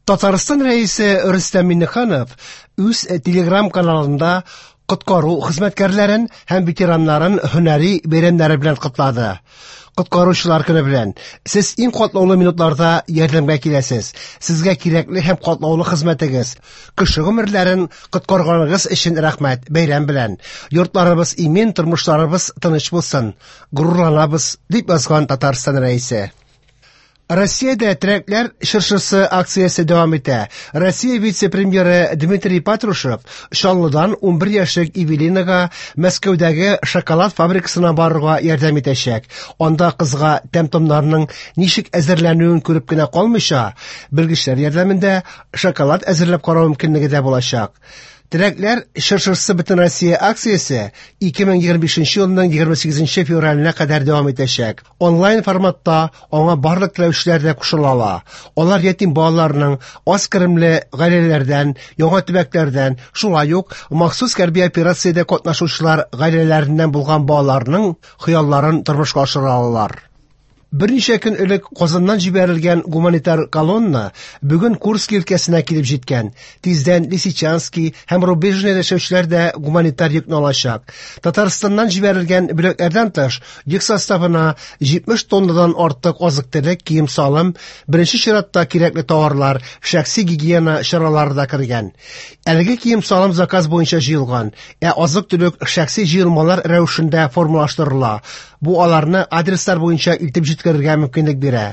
Татарстан Рәисе Рөстәм Миңнеханов үз телеграм-каналында коткару хезмәткәрләрен һәм ветераннарын һөнәри бәйрәмнәре белән котлады. Коткаручылар көне белән! Сез иң катлаулы минутларда ярдәмгә киләсез. Сезгә кирәкле һәм катлаулы хезмәтегез, кеше гомерләрен коткарганыгыз өчен рәхмәт. Бәйрәм белән! Йортларыбыз имин, тормышларыбыз тыныч булсын. Горурланабыз, дип язган Татарстан Рәисе. Россиядә терәкләр чыршысы акциясе дәвам итә. Россия вице-премьеры Дмитрий Патрушев Чаллыдан 11 яшьлек Эвелинага Мәскәүдәге шоколад фабрикасына барырга ярдәм итәчәк. Анда кызга тәм-томнарның ничек әзерләнүен күреп кенә калмыйча, белгечләр ярдәмендә шоколад әзерләп карау мөмкинлеге дә булачак. Теләкләр чыршысы Бөтенроссия акциясе 2025 елның 28 февраленә кадәр дәвам итәчәк. Онлайн форматта аңа барлык теләүчеләр дә кушыла ала. Алар ятим балаларның аз керемле гаиләләрдән, яңа төбәкләрдән, шулай ук махсус хәрби операциядә катнашучылар гаиләләреннән булган балаларның хыялларын тормышка ашыра алалар. Берничә көн элек Казаннан җибәрелгән гуманитар колонна бүген Курск өлкәсенә килеп җиткән. Тиздән Лисичанский һәм Рубежныйда яшәүчеләр дә гуманитар йөкне алачак. Татарстаннан җибәрелгән бүләкләрдән тыш, йөк составына 70 тоннадан артык азык-төлек, кием-салым, беренче чиратта кирәкле товарлар, шәхси гигиена чаралары да кергән. Әлеге кием-салым заказ буенча җыелган, ә азык-төлек шәхси җыелмалар рәвешендә формалаштырыла. Бу аларны адреслар буенча илтеп җиткерергә мөмкинлек бирә.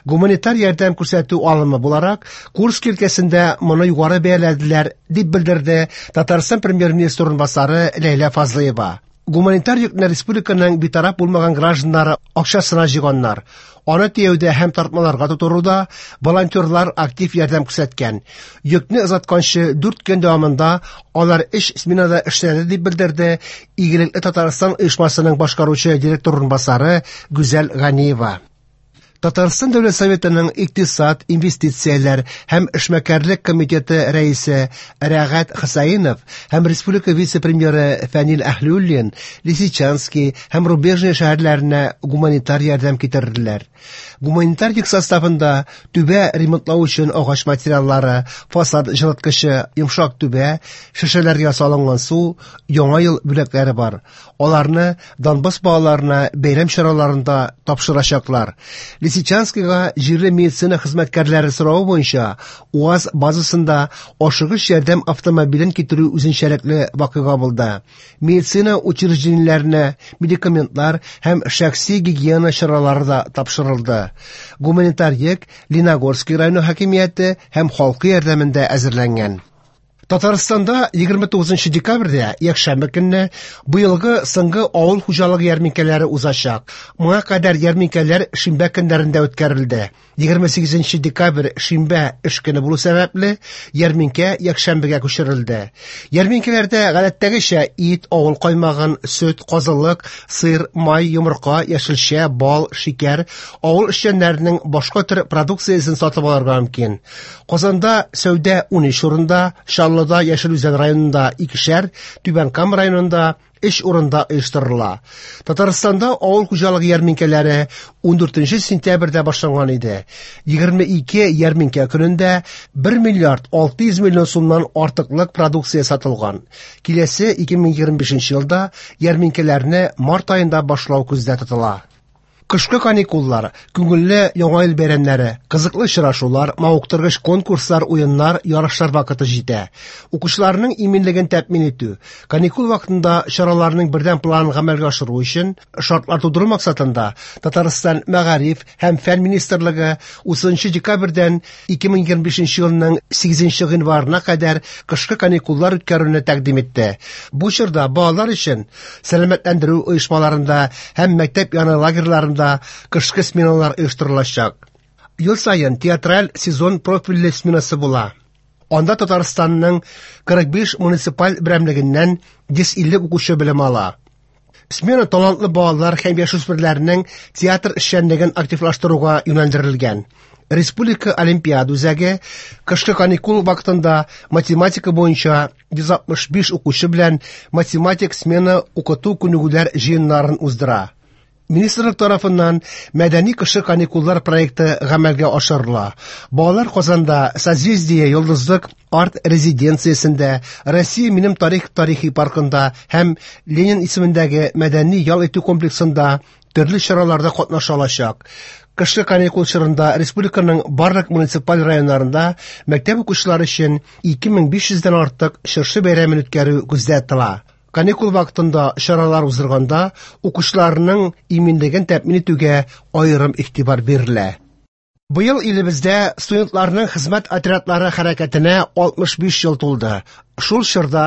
Гуманитар ярдәм күрсәтү алымы буларак, Курск өлкәсендә моны югары бәяләделәр, дип белдерде Татарстан премьер-министры урынбасары Ләйлә Фазлыева. Гуманитар йөкне республиканың битараф булмаган гражданнары акчасына җыйганнар. Аны төяүдә һәм тартмаларга тутыруда волонтерлар актив ярдәм күрсәткән. Йөкне озатканчы 4 көн дәвамында алар өч сменада эшләде, дип белдерде Игелекле Татарстан оешмасының башкаручы директор урынбасары Гүзәл Ганиева. Татарстан Дәүләт Советының икътисад, инвестицияләр һәм эшмәкәрлек комитеты рәисе Рәгать Хәсәинов һәм республика вице-премьеры Фәнил Әһлиуллин Лисичанский һәм Рубежное шәһәрләренә гуманитар ярдәм китерделәр. Гуманитар йөк составында түбә ремонтлау өчен агач материаллары, фасад җылыткычы, йомшак түбә, шешәләргә салынган су, Яңа ел бүләкләре бар. Аларны Донбасс балаларына бәйрәм чараларында тапшырачаклар. Лисичанскига җирле медицина хезмәткәрләре соравы буенча УАЗ базасында ашыгыч ярдәм автомобилен китерү үзенчәлекле вакыйга булды. Медицина учреждениеләренә медикаментлар һәм шәхси гигиена чаралары да тапшырылды. Гуманитар йөк Леногорский районы хакимияте һәм халкы ярдәмендә әзерләнгән. Татарстанда 29 декабрьдә, якшәмбе көнне, быелгы соңгы авыл хуҗалыгы ярминкәләре узачак. Моңа кадәр ярминкәләр шимбә көннәрендә үткәрелде. 28 декабрь шимбә эш көне булу сәбәпле, ярминкә якшәмбегә күчерелде. Ярминкәләрдә гадәттәгечә ит, авыл каймагын, сөт, казылык, сыр, май, йомырка, яшелчә, бал, шикәр, авыл эшчәннәренең башка төр продукциясен сатып алырга мөмкин. Казанда сәүдә 13 урында, Чаллыда, Яшел Үзән районында икешәр, Түбән Кама районында өч урында оештырыла. Татарстанда авыл хуҗалыгы ярминкәләре 14 сентябрьдә башланган иде. 22 ярминкә көнендә 1 миллиард 600 миллион сумнан артыклык продукция сатылган. Киләсе 2025 елда ярминкәләрне март аенда башлау күздә тотыла. Кышкы каникуллар, күңелле Яңа ел бәйрәмнәре, кызыклы очрашулар, мавыктыргыч конкурслар, уеннар, ярышлар вакыты җитә. Укучыларның иминлеген тәэмин итү, каникул вакытында чараларның бердәм планын гамәлгә ашыру өчен шартлар тудыру максатында Татарстан Мәгариф һәм фән министрлыгы 30 декабрьдән 2025 елның 8 гыйнварына кадәр кышкы каникуллар үткәрүне тәкъдим итте. Бу чорда балалар өчен сәламәтләндерү оешмаларында һәм мәктәп яны лагерьларында кышкы сменалар оештырылачак. Ел саен театраль сезон профильле сменасы була. Анда Татарстанның 45 муниципаль берәмлегеннән 150 укучы белем ала. Смена талантлы балалар һәм яшүсмерләрнең театр эшчәнлеген активлаштыруга юнәлдерелгән. Республика Олимпиада үзәге кышкы каникул вакытында математика буенча 165 укучы белән математик смена укыту күнегүләр җыеннарын уздыра. Министрлык тарафыннан Мәдәни кышкы каникуллар проекты гамәлгә ашырыла. Балалар Казанда Созвездие Йолдызлык арт-резиденциясендә, Россия минем тарих тарихи паркында һәм Ленин исемендәге мәдәни ял итү комплексында төрле чараларда катнаша алачак. Кышкы каникул чорында республиканың барлык муниципаль районнарында мәктәп укучылары өчен 2500 дән артык чыршы бәйрәмен үткәрү күздә тотыла. Каникул вакытында чаралар уздырганда укучыларның иминлеген тәэмин итүгә аерым игътибар бирелә. Быел илебездә студентларның хезмәт отрядлары хәрәкәтенә 65 ел тулды. Шул чорда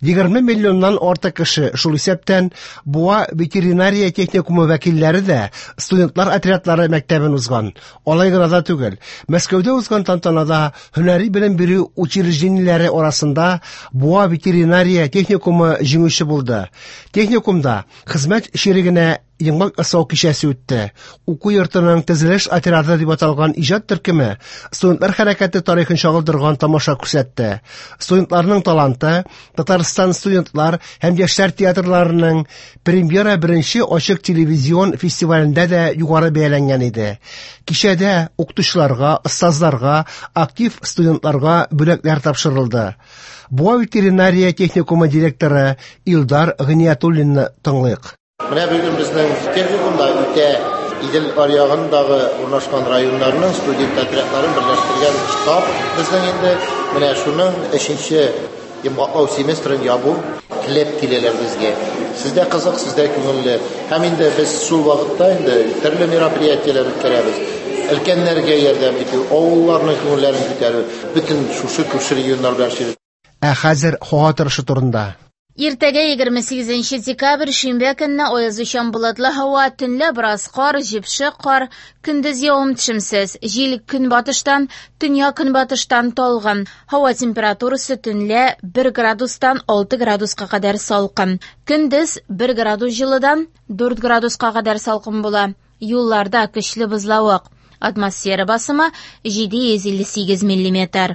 20 миллионнан артык кеше, шул исәптән Буа ветеринария техникумы вәкилләре дә студентлар отрядлары мәктәбен узган. Алай гына да түгел, Мәскәүдә узган тантанада һөнәри белем бирү учреждениеләре арасында Буа ветеринария техникумы җиңүче булды. Техникумда хезмәт чирегенә йомгак ясау кичәсе үтте. Уку йортының төзелеш отряды дип аталган иҗат төркеме студентлар хәрәкәте тарихын чагылдырган тамаша күрсәтте. Студентларның таланты Татарстан студентлар һәм яшьләр театрларының премьера беренче ачык телевизион фестивалендә дә югары бәяләнгән иде. Кичәдә укытучыларга, остазларга, актив студентларга бүләкләр тапшырылды. Буа ветеринария техникумы директоры Илдар Гыйниятуллинны тыңлыйк. Менә бүген безнең техникумда үтә Идел аръягындагы урнашкан районнарның студент отрядларын берләштергән штаб безнең инде менә шуның өченче йомгаклау семестрын ябу теләп киләләр безгә. Сездә кызык, сездә күңелле. Һәм инде без шул вакытта инде төрле мероприятиеләр үткәрәбез. Өлкәннәргә ярдәм итү, авылларның күңелләрен күтәрү, бөтен шушы күрше регионнар белән эшлибез. Ә хәзер һава торышы турында. Иртәгә 28 декабрь шимбә көнне аязучан болытлы һава, төнлә бераз кар, җепшек кар, көндез явым-төшемсез. Җил көнбатыштан, төньяк-көнбатыштан талгын. Һава температурасы төнлә 1 градустан 6 градуска кадәр салкын. Көндез 1 градус җылыдан 4 градуска кадәр салкын була. Юлларда көчле бозлавык. Атмосфера басымы 758 миллиметр.